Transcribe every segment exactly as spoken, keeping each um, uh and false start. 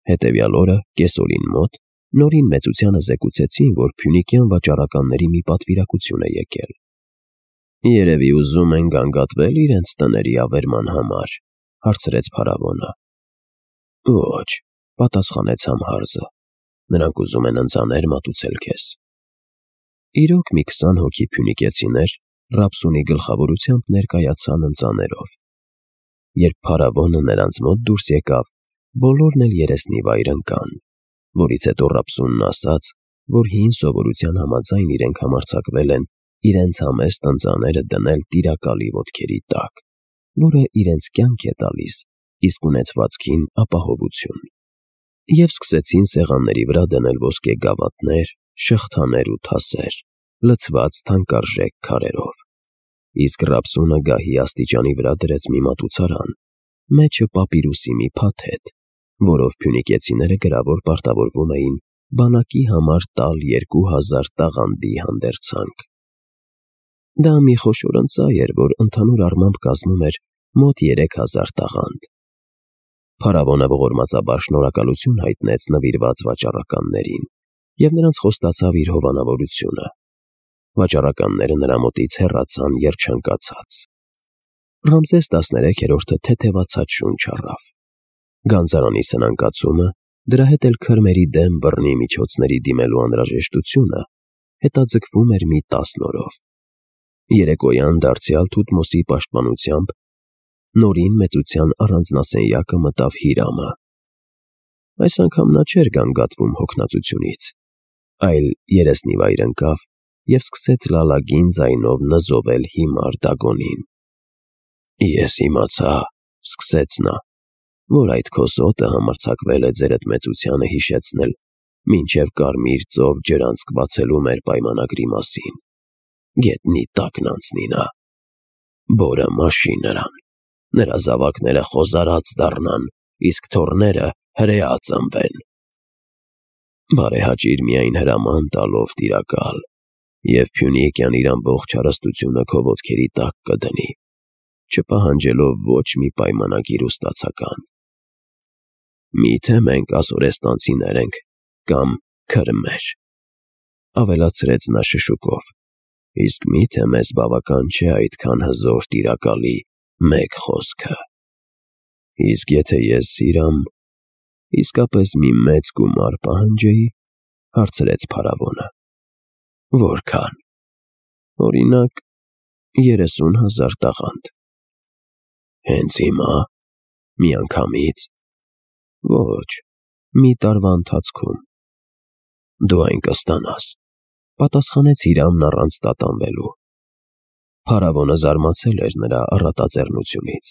Հետևյալ օրը կեսօրին մոտ Նորին մեծությանը զեկուցեցին, որ փյունիկյան վաճառականների մի պատվիրակություն է եկել։ Երևի ուզում են գանգատվել իրենց տների ավերման համար, հարցրեց փարավոնը։ Ոչ, պատասխանեց Համհարզը, նրանք ուզում են ընծաներ մատուցել քեզ։ Իրոք մի քսան հոգի փյունիկեցիներ Ռաբսունի գլխավորությամբ ներկայացան ընծաներով։ Երբ փարավոնը նրանց մոտ դուրս եկավ, բոլորն էլ երեսնիվայր ընկան, որից հետո Ռաբսունն ասաց, որ հին սովորության համաձայն իրենք համարձակվել են իրենց համեստ ընծաները դնել տիրակալի ոտքերի տակ, որը իրենց կյանք է տալիս, իսկ ունեցվածքին ապահովություն, և սկսեցին սեղանների վրա դնել ոսկե գավաթներ, շղթաներ ու թասեր, լցված թանկարժեք քարերով։ Իսկ Ռաբսունը գահի աստիճանի վրա դրեց մի մատուցարան, մեջը պապիրուսի մի փաթեթ, որով փյունիկեցիները գրավոր պարտավորվում էին բանակի համար տալ երկու հազար տաղանդի հանդերձանք։ Դա մի խոշոր ընծա էր, որ ընդհանուր առմամբ կազմում էր մոտ երեք հազար տաղանդ։ Փարավոնը ողորմածաբար շնորհակալություն հայտնեց նվիրված վաճառականներին և նրանց խոստացավ իր հովանավորությունը։ Վաճառականները նրա մոտից հեռացան երջանկացած։ Ռամզես տասներեքերորդը թեթևացած շունչ առավ։ Գանձարանի սնանկացումը, դրա հետ էլ քրմերի դեմ բռնի միջոցների դիմելու անհրաժեշտությունը հետաձգվում էր մի տասն օրով։ Երեկոյան դարձյալ Թութմոսի պաշտպանությամբ Նորին մեծության առանձնասենյակը մտավ Հիրամը։ Այս անգամ նա չէր գանգատվում հոգնածությունից, այլ երեսնիվայր ընկավ և սկսեց լալագին ձայնով նզովել հիմար Դագոնին։ Ես իմացա, սկսեց նա, որ այդ քոսոտը համարձակվել է ձերդ մեծությանը հիշեցնել մինչև Կարմիր ծով ջրանցք բացելու մեր պայմանագրի մասին։ Գետնի տակն անցնի նա, բորը մաշի նրան, նրա զավակները խոզարած դառնան, իսկ թոռները հրեա ծնվեն։ Բարեհաճիր միայն հրաման տալով տիրակալ, և Փյունիկյան իր ամբողջ հարստությունը քո ոտքերի տակ կդնի, չպահանջելով ոչ մի պայմանագիր ու ստացական։ Միթե մենք ասորեստանցիներ ենք կամ քրմեր, ավելացրեց նա շշուկով, իսկ միթե մեզ բավական չէ այդքան հզոր տիրակալի մեկ խոսքը։ Իսկ եթե ես Հիրամ իսկապես մի մեծ գումար պահանջեի, հարցրեց փարավոնը։ Որքան։ Օրինակ, երեսուն հազար տաղանդ։ Հենց հիմա, միանգամից։ Ոչ, մի տարվա ընթացքում։ Դու այն կստանաս, պատասխանեց Հիրամն առանց տատանվելու։ Փարավոնը զարմացել էր նրա առատաձեռնությունից։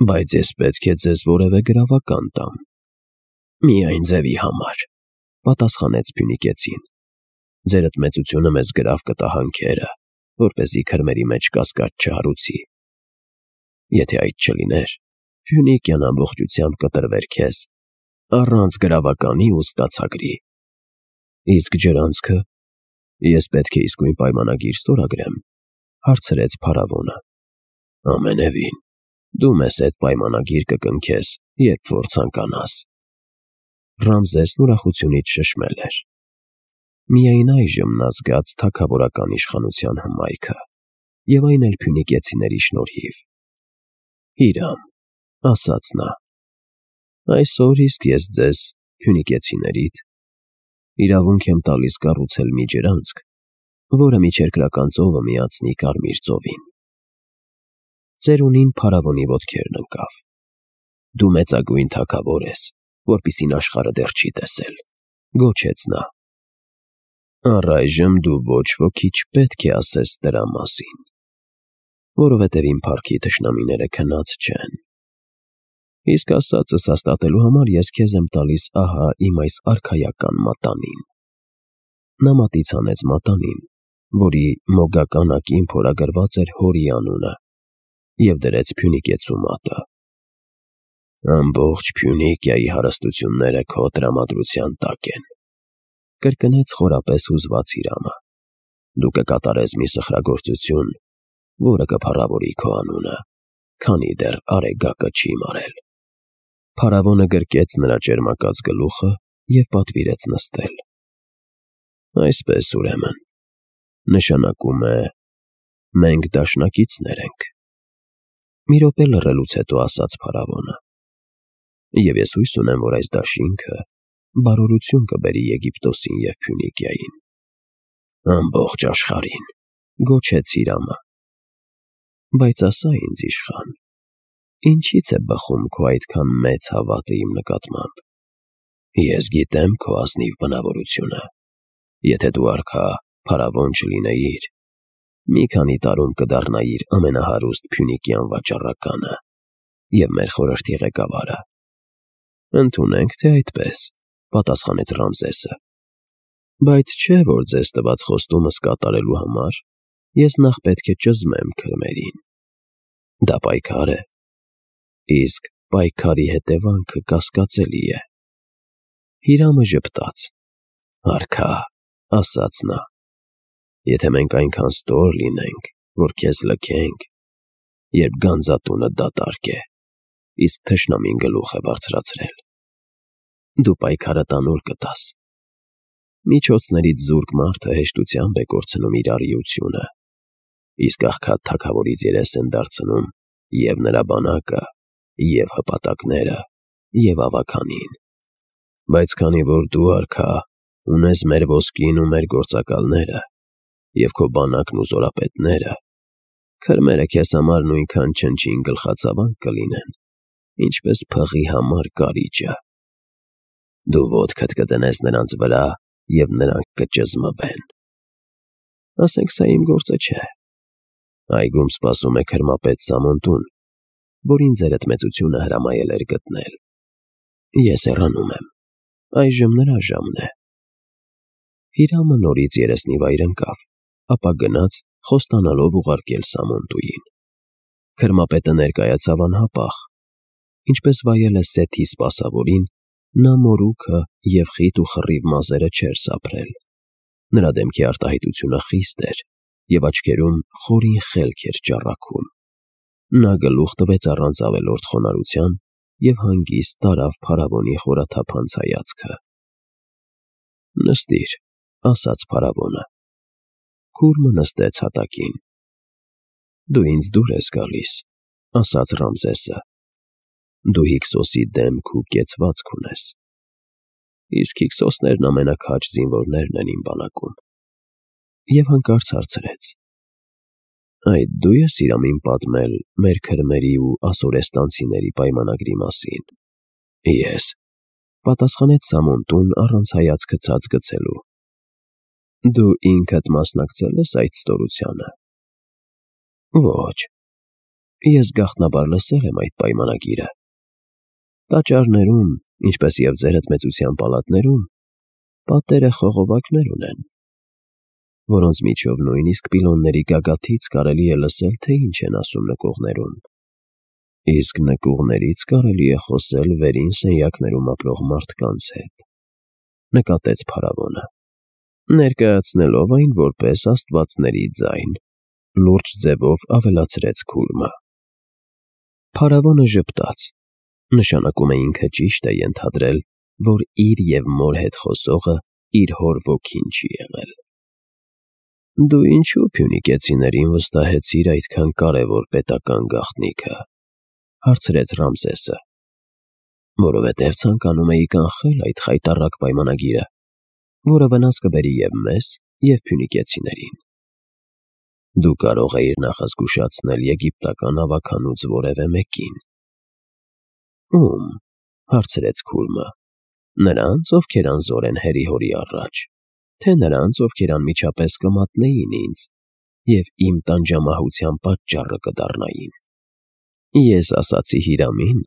Բայց ես պետք է ձեզ որևէ գրավական տամ։ Միայն ձևի համար, պատասխանեց փյունիկեցին։ Ձերդ մեծությունը մեզ գրավ կտա հանքերը, որպեսզի քրմերի մեջ կասկած չհարուցի։ Եթե այդ չլիներ, Փյունիկյան ամբողջությամբ կտրվեր քեզ, առանց գրավականի ու ստացագրի։ Իսկ ջրանցքը ես պետք է իսկույն պայմանագիր ստորագրեմ, հարցրեց փարավոնը։ Ամենևին, դու մեզ հետ պայմանագիր կկնքես, երբ որ ցանկանաս։ Ռամզեսն ուրախությունից շշմել էր։ Միայն այժմ նա զգաց թագավորական իշխանության հմայքը, և այն էլ փյունիկեցիների շնորհիվ։ Հիրամ, ասաց նա, այսօր իսկ ես ձեզ, փյունիկեցիներիդ, իրավունք եմ տալիս կառուցել մի ջրանցք, որը միջերկրական ծովը միացնի Կարմիր ծովին։ Ծերունին փարավոնի ոտքերն ընկավ։ Դու մեծագույն թագավոր ես, որպիսին աշխարհը դեռ չի տեսել, գոչեց նա։ Առայժմ դու ոչ ոքի չպետք է ասես դրա մասին, որովհետև իմ փառքի թշնամիները քնած չեն։ Իսկ ասածս հաստատելու համար ես քեզ եմ տալիս ահա իմ այս արքայական մատանին։ Նա մատից հանեց մատանին, որի մոգական ակին փորագրված էր հորի անունը, և դրեց փյունիկեցու մատը։ Ամբողջ Փյունիկիայի հարստությունները քո տրամադրության տակ են, կրկնեց խորապես հուզված Հիրամը։ Դու կկատարես մի սխրագործություն, որը կփառավորի քո անունը, քանի դեռ Արեգակը չի մարել։ Փարավոնը գրկեց նրա ճերմակած գլուխը և պատվիրեց նստել։ Այսպես, ուրեմն, նշանակում է, մենք դաշնակիցներ ենք, մի րոպե լռելուց հետո ասաց փարավոնը, և ես հույս ունեմ, որ այս դաշինքը բարօրություն կբերի Եգիպտոսին և Փյունիկիային։ Ամբողջ աշխարհին, գոչեց Հիրամը։ Բայց ասա ինձ, իշխան, ինչի՞ց է բխում քո այդքան մեծ հավատը իմ նկատմամբ։ Ես գիտեմ քո ազնիվ բնավորությունը։ Եթե դու արքա փարավոն չլինեիր, մի քանի տարում կդառնայիր ամենահարուստ փյունիկյան վաճառականը և մեր խորհրդի ղեկավարը։ Ընդունենք, թե այդպես, պատասխանեց Ռամզեսը։ Բայց չէ, որ ձեզ տված խոստումս կատարելու համար ես նախ պետք է ճզմեմ քրմերին։ Դա պայքար է, իսկ պայքարի հետևանքը կասկածելի է։ Հիրամը ժպտաց։ Արքա, ասաց նա, եթե մենք այնքան ստոր լինենք, որ քեզ լքենք, երբ գանձատունը դատարկ է, իսկ թշնամին գլուխ է բարձրացրել, դու պայքարը տանուլ կտաս։ Միջոցներից զուրկ մարդը հեշտությամբ է կորցնում իր առիությունը, իսկ աղքատ թագավորից երես են դարձնում և նրա բանակը, և հպատակները, և ավագանին։ Բայց քանի որ դու, արքա, ունես մեր ոսկին ու մեր գործակալները և քո բանակն ու զորապետները, քրմերը քեզ համար նույնքան չնչին գլխացավանք կլինեն, ինչպես փղի համար կարիճը։ Դու ոտքդ կդնես նրանց վրա, և նրանք կճզմվեն։ Ասենք սա իմ գործը չէ։ Այգում սպասում է քրմապետ Սամոն տուն, որին ձերդ մեծությունը հրամայել էր գտնել։ Ես հեռանում եմ, այժմ նրա ժամն է։ Հիրամը նորից երեսնիվայր ընկավ, ապա գնաց, խոստանալով ուղարկել Սամոն տուին։ Քրմապետը ներկայացավ անհապաղ։ Ինչպես վայել է Սեթի սպասավորին, նա մորուքը և խիտ ու խռիվ մազերը չէր սափրել։ Նրա դեմքի արտահայտությունը խիստ էր, և աչքերում խորին խելք էր ճառագում։ Նա գլուխ տվեց առանց ավելորդ խոնարհության և հանգիստ տարավ փարավոնի խորաթափանց հայացքը։ Նստիր, ասաց փարավոնը։ Քուրմը նստեց հատակին։ Դու ինձ դուր ես գալիս, ասաց Ռամզեսը։ Դու Հիքսոսի դեմք ու կեցվածք ունես, իսկ Հիքսոսներն ամենաքաջ զինվորներն են իմ բանակում։ Եվ հանկարծ հարցրեց. Այդ դու ես Հիրամին պատմել մեր քրմերի ու ասորեստանցիների պայմանագրի մասին։ Ես, պատասխանեց Սամոն տուն առանց հայացքը ցած գցելու։ Դու ինքդ մասնակցել ես այդ ստորությանը։ Ոչ, ես գաղտնաբար լսել եմ այդ պայմանագիրը։ Տաճարներում, ինչպես և ձերդ մեծության պալատներում, պատերը խողովակներ ունեն, որոնց միջով նույնիսկ պիլոնների գագաթից կարելի է լսել, թե ինչ են ասում նկուղներում։ Իսկ նկուղներից կարելի է խոսել վերին սենյակներում ապրող մարդկանց հետ, նկատեց փարավոնը, ներկայացնելով այն որպես աստվածների ձայն, լուրջ ձևով ավելացրեց Քուրմը։ Փարավոնը ժպտաց, նշանակում է ինքը ճիշտ է ենթադրել, որ իր և մոր հետ խոսողը իր հոր ոգին չի եղել։ Դու ինչու փյունիկեցիներին վստահեցիր այդքան կարևոր պետական գաղտնիքը, հարցրեց Ռամզեսը։ Որովհետև ցանկանում էի կանխել այդ խայտառակ պայմանագիրը, որը վնաս կբերի և մեզ, և փյունիկեցիներին։ Դու կարող էիր նախազգուշացնել եգիպտական ավագանուց որևէ մեկին։ Ում, հարցրեց Քուրմը, նրանց, ովքեր անզոր են հերի-հորի առաջ, թե նրանց, ովքեր անմիջապես կմատնեին ինձ և իմ տանջամահության պատճառը կդառնային։ Ես ասացի Հիրամին,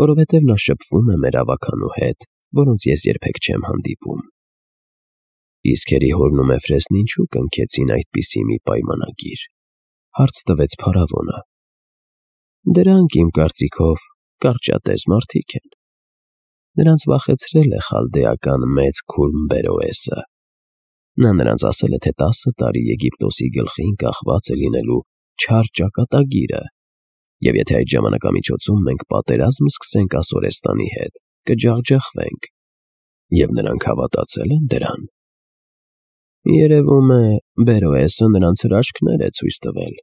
որովհետև նա շփվում է մեր ավագանու հետ, որոնց ես երբեք չեմ հանդիպում։ Իսկ հերի-հորն ու Մեֆրեսն ինչու կնքեցին այդպիսի մի պայմանագիր, հարց տվեց փարավոնը։ Դրանք, իմ կարծիքով, կարճատև մարդիկ են։ Նրանց վախեցրել է խալդեական մեծ Քուրմ Բերոեսը։ Նա նրանց ասել է, թե տասը տարի Եգիպտոսի գլխին կախված է լինելու չար ճակատագիրը, Եվ եթե այդ ժամանակամիջոցում մենք պատերազմ սկսենք Ասորեստանի հետ, կջախջախվենք։ Եվ նրանք հավատացել են դրան։ Երևում է, Բերոեսը նրանց հրաշքներ է ցույց տվել,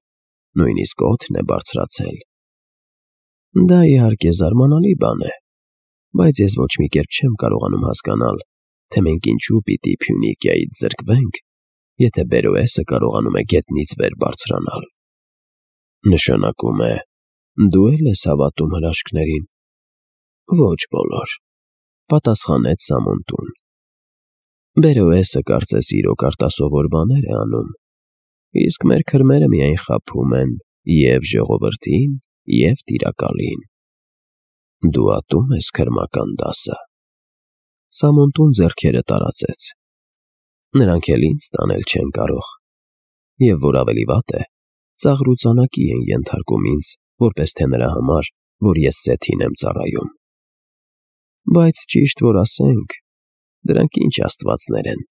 նույնիսկ օդն է բարձրացել։ Դա իհարկե զարմանալի բան է, բայց ես ոչ մի կերպ չեմ կարողանում հասկանալ, թե մենք ինչու պիտի Փյունիկիայից զրկվենք, եթե Բերոեսը կարողանում է գետնից վեր բարձրանալ։ Նշանակում է, դու էլ ես հավատում հրաշքներին։ Ոչ բոլոր, պատասխանեց Սամոնտուն։ Բերոեսը կարծես իրոք արտասովոր բաներ է անում, իսկ մեր քրմերը միայն խաբում են և ժողովրդին, և տիրակալին։ Դու ատում ես քրմական դասը։ Սամոնտուն ձեռքերը տարածեց։ Նրանք էլ ինձ տանել չեն կարող, և որ ավելի վատ է, ծաղրուծանակի են ենթարկում ինձ, որպես թե նրա համար, որ ես Սեթին եմ ծառայում։ Բայց ճիշտ որ ասենք, դրանք ինչ աստվածներ են,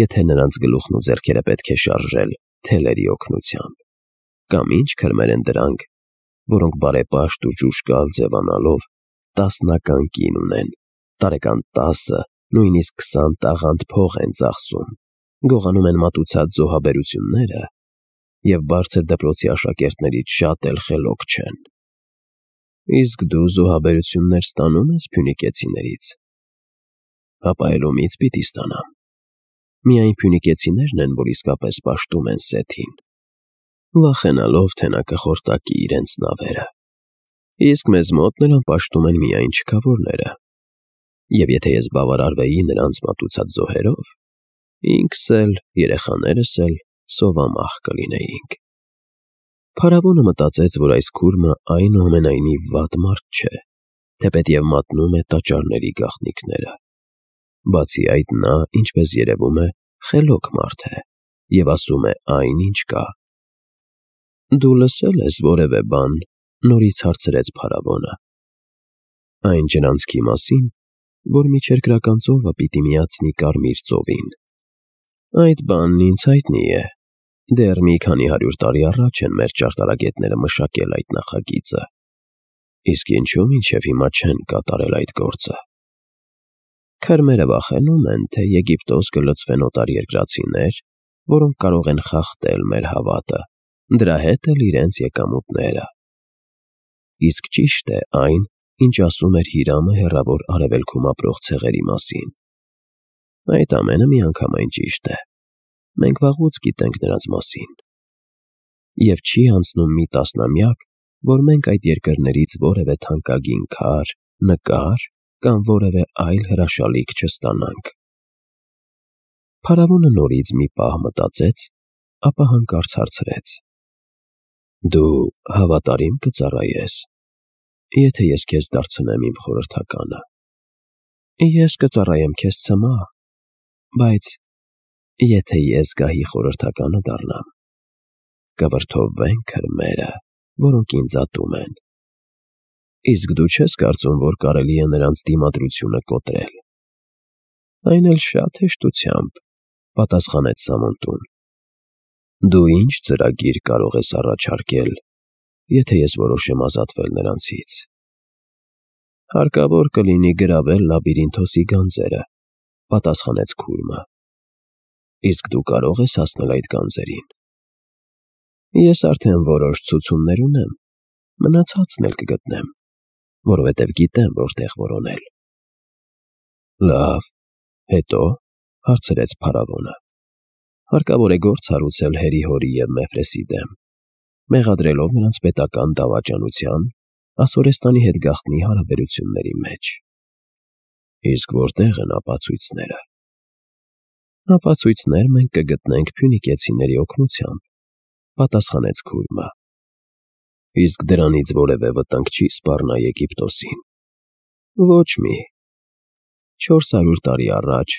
եթե նրանց գլուխն ու ձեռքերը պետք է շարժել թելերի օգնությամբ, կամ ինչ քրմեր են դրանք, որոնք բարեպաշտ ու ճուճկալ ձևանալով տասնական կին ունեն, տարեկան տասը, նույնիսկ քսան տաղանդ փող են ծախսում, գողանում են մատուցած զոհաբերությունները և բարձր դպրոցի աշակերտներից շատ էլ խելոք չեն։ Իսկ դու զոհաբերություններ ստանո՞ւմ ես փյունիկեցիներից։ Ապա էլ ումից պիտի ստանամ։ Միայն փյունիկեցիներն են, որ իսկապես պաշտում են Սեթին, վախենալով, թե նա կխորտակի իրենց նավերը, իսկ մեզ մոտ նրան պաշտում են միայն չքավորները, և եթե ես բավարարվեի նրանց մատուցած զոհերով, ինքս էլ, երեխաներս էլ սովամահ կլինեինք։ Փարավոնը մտածեց, որ այս քուրմը այնուամենայնիվ վատ մարդ չէ, թեպետև մատնում է տաճարների գաղտնիքները։ Բացի այդ նա, ինչպես երևում է, խելոք մարդ է և ասում է այն, ինչ կա։ Դու լսե՞լ ես որևէ բան, նորից հարցրեց փարավոնը։ Այն ջրանցքի մասին, որ միջերկրական ծովը պիտի միացնի Կարմիր ծովին։ Այդ բանն ինձ հայտնի է, դեռ մի քանի հարյուր տարի առաջ են մեր ճարտարագետները մշակել այդ նախագիծը, իսկ ինչու մինչև հիմա չեն կատարել այդ գործը։ Քրմերը վախենում են, թե Եգիպտոս կլցվեն օտարերկրացիներ, որոնք կարող են խախտել մեր հավատը, դրա հետ էլ իրենց եկամուտները։ Իսկ ճիշտ է այն, ինչ ասում էր Հիրամը հեռավոր արևելքում ապրող ցեղերի մասին։ Այդ ամենը միանգամայն ճիշտ է։ Մենք վաղուց գիտենք նրանց մասին։ Եվ չի անցնում մի տասնամյակ, որ մենք այդ երկրներից որևէ թանկագին քար, նկար կամ որևէ այլ հրաշալիք չստանանք։ Փարավոնը նորից մի պահ մտածեց, ապա հանկարծ հարցրեց. Դու հավատարիմ կծառայես, եթե ես քեզ դարձնեմ իմ խորհրդականը։ Ես կծառայեմ քեզ ցմահ, բայց եթե ես գահի խորհրդականը դառնամ, կվրդովվեն քրմերը, որոնք ինձ ատում են։ Իսկ դու չես կարծում, որ կարելի է նրանց դիմադրությունը կոտրել։ Այն էլ շատ հեշտությամբ, պատասխանեց Սամոնտուն։ Դու ինչ ծրագիր կարող ես առաջարկել, եթե ես որոշեմ ազատվել նրանցից։ Հարկավոր կլինի գրավել Լաբիրինթոսի գանձերը, պատասխանեց քուրմը։ Իսկ դու կարող ես հասնել այդ գանձերին։ Ես արդեն որոշ ցուցումներ ունեմ, մնացածն էլ կգտնեմ, որովհետև գիտեմ որտեղ որոնել։ Լավ, հետո, հարցրեց փարավոնը։ Հարկավոր է գործ հարուցել Հերի-Հորի և Մեֆրեսի դեմ, մեղադրելով նրանց պետական դավաճանության, Ասորեստանի հետ գաղտնի հարաբերությունների մեջ։ Իսկ որտեղ են ապացույցները։ Ապացույցներ մենք կգտնենք փյունիկեցիների օգնությամբ, պատասխանեց քուրմը։ Իսկ դրանից որևէ վտանգ չի սպառնա Եգիպտոսին։ Ոչ մի։ Չորս հարյուր տարի առաջ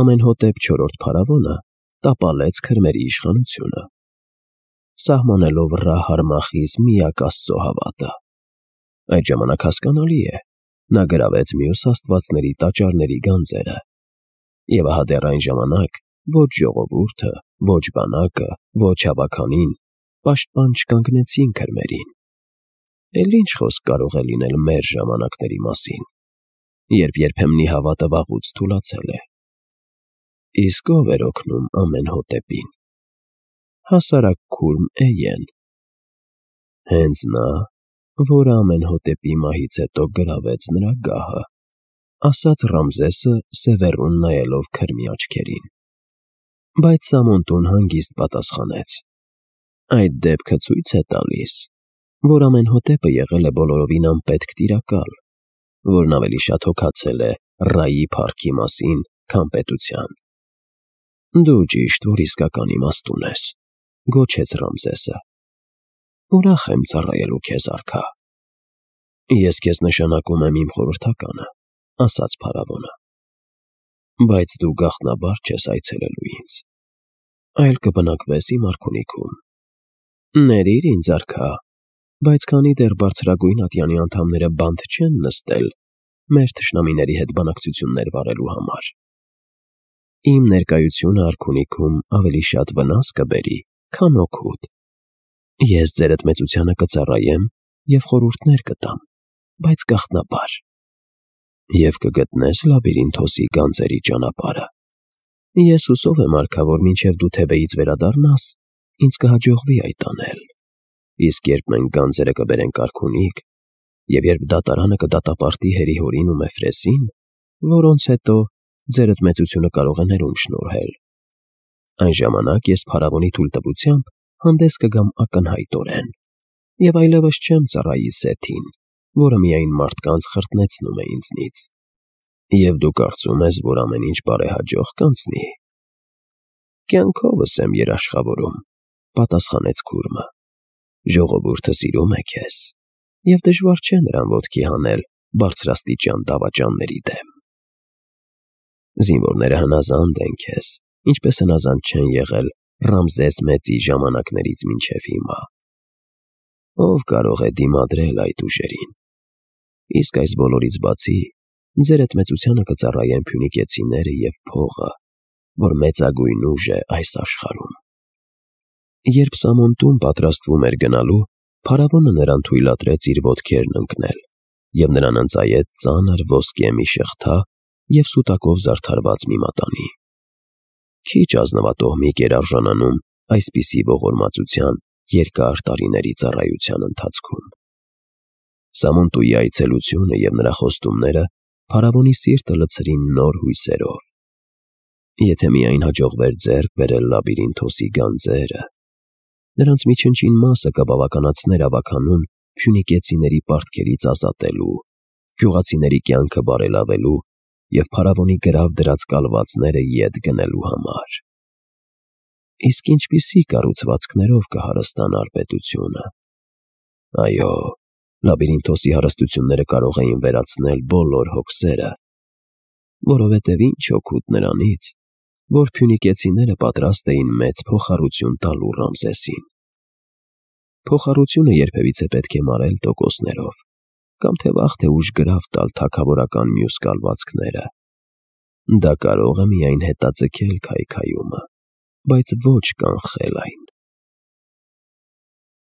Ամենհոտեպ չորրորդ փարավոնը տապալեց քրմերի իշխանությունը, սահմանելով Ռա-Հարմախիս միակ Աստծո հավատը։ Այդ ժամանակ հասկանալի է, նա գրավեց մյուս աստվածների տաճարների գանձերը, և ահա դեռ այն ժամանակ ոչ ժողովուրդը, ոչ բանակը, ոչ հավաքանին պաշտպան չկանգնեցին քրմերին։ էլ ինչ խոսք կարող է լինել մեր ժամանակների մասին, երբ երբեմնի հավատը վաղուց թուլացել է։ Իսկ ով էր օգնում Ամենհոտեպին։ Հասարակ քուրմ Էյեն։ Հենց նա, որը Ամենհոտեպի մահից հետո գրավեց նրա գահը, ասաց Ռամզեսը սևեռուն նայելով քրմի աչքերին։ Բայց Սամոնտուն հանգիստ պատասխանեց. այդ դեպքը ցույց է տալիս, որ Ամենհոտեպը եղել է բոլորովին անպետք տիրակալ, որն ավելի շատ հոգացել է Ռայի փառքի մասին, քան պետության։ Դու ճիշտ, որ իսկական իմաստուն ես, գոչեց Ռամզեսը։ Ուրախ եմ ծառայելու քեզ, արքա։ Ես քեզ նշանակում եմ իմ խորհրդականը, ասաց փարավոնը։ Բայց դու գաղտնաբար չես այցելելու ինձ, այլ կբնակվես իմ արքունիքում։ Ներիր ինձ, արքա, բայց քանի դեռ բարձրագույն ատյանի անդամները բանտ չեն նստել մեր թշնամիների հետ բանակցություններ վարելու համար, իմ ներկայությունը արքունիքում ավելի շատ վնաս կբերի, քան օգուտ։ Ես ձերդ մեծությանը կծառայեմ և խորհուրդներ կտամ, բայց գաղտնաբար, և կգտնես Լաբիրինթոսի գանձերի ճանապարհը։ Ես հուսով եմ, արքա, որ մինչև դու Թեբեից վերադառնաս, ինձ կհաջողվի այդ անել։ Իսկ երբ մենք գանձերը կբերենք արքունիք, և երբ դատարանը կդատապարտի Հերիհորին ու Մեֆրեսին, որոնց հետո ձերդ մեծությունը կարող է ներում շնորհել, այն ժամանակ ես փարավոնի թույլտվությամբ հանդես կգամ ակնհայտորեն, և այլևս չեմ ծառայի Սեթին, որը միայն մարդկանց խրտնեցնում է ինձնից։ Եվ դու կարծում ես, որ ամեն ինչ բարեհաջող կանցնի։ Կյանքովս եմ երաշխավորում, պատասխանեց քուրմը։ Ժողովուրդը սիրում է քեզ, և դժվար չէ նրան ոտքի հանել բարձրաստիճան դավաճանների դեմ։ Զինվորները հնազանդ են քեզ, ինչպես հնազանդ չեն եղել Ռամզես մեծի ժամանակներից մինչև հիմա։ Ով կարող է դիմադրել այդ ուժերին։ Իսկ այս բոլորից բացի, ձերդ մեծությանը կծառայեն փյունիկեցիները և փողը, որ մեծագույն ուժ է այս աշխարհում։ Երբ Սամոնտուն պատրաստվում էր գնալու, փարավոնը նրան թույլատրեց իր ոտքերն ընկնել և նրան ընծայեց ծանր ոսկե մի շղթա և սուտակով զարդարված մի մատանի։ Քիչ ազնվատոհմիկ էր արժանանում այսպիսի ողորմածության երկար տարիների ծառայության ընթացքում։ Սամոնտուի այցելությունը և նրա խոստումները փարավոնի սիրտը լցրին նոր հույսերով։ Եթե միայն հաջողվեր ձեռք բերել Լաբիրինթոսի գանձերը, նրանց մի չնչին մասը կբավականացներ ավագանուն փյունիկեցիների պարտքերից ազատելու, գյուղացիների կյանքը բարելավելու և փարավոնի գրավ դրած կալվածները ետ գնելու համար։ Իսկ ինչպիսի կառուցվածքներով կհարստանար պետությունը։ Այո, Լաբիրինթոսի հարստությունները կարող էին վերացնել բոլոր հոգսերը, որովհետև ինչ օգուտ նրանից, որ փյունիկեցիները պատրաստ էին մեծ փոխառություն տալու Ռամզեսին։ Փոխառությունը երբևիցե պետք է մարել տոկոսներով, կամ թե վաղ թե ուշ գրավ տալ թագավորական մյուս կալվածքները։ Դա կարող է միայն հետաձգել քայքայումը, բայց ոչ կանխել այն։